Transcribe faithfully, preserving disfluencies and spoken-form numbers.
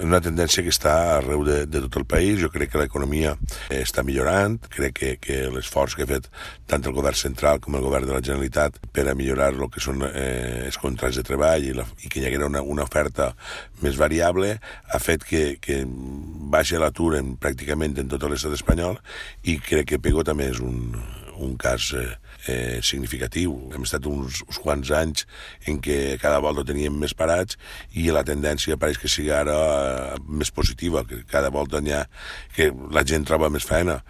una tendència que està arreu de, de tot el país. Jo crec que l'economia està millorant, crec que, que l'esforç que ha fet tant el govern central com el govern de la Generalitat per a millorar el que són eh, els contrats de treball i, la, i que hi haguera una, una oferta més variable ha fet que, que baixi l'atur en, pràcticament en tot l'estat espanyol, i crec que Pego també és un, un cas eh, eh, significatiu. Hem estat uns, uns quants anys en què cada volta teníem més parats i la tendència pareix que sigui ara eh, més positiva, que cada volta n'hi ha, que la gent troba més feina.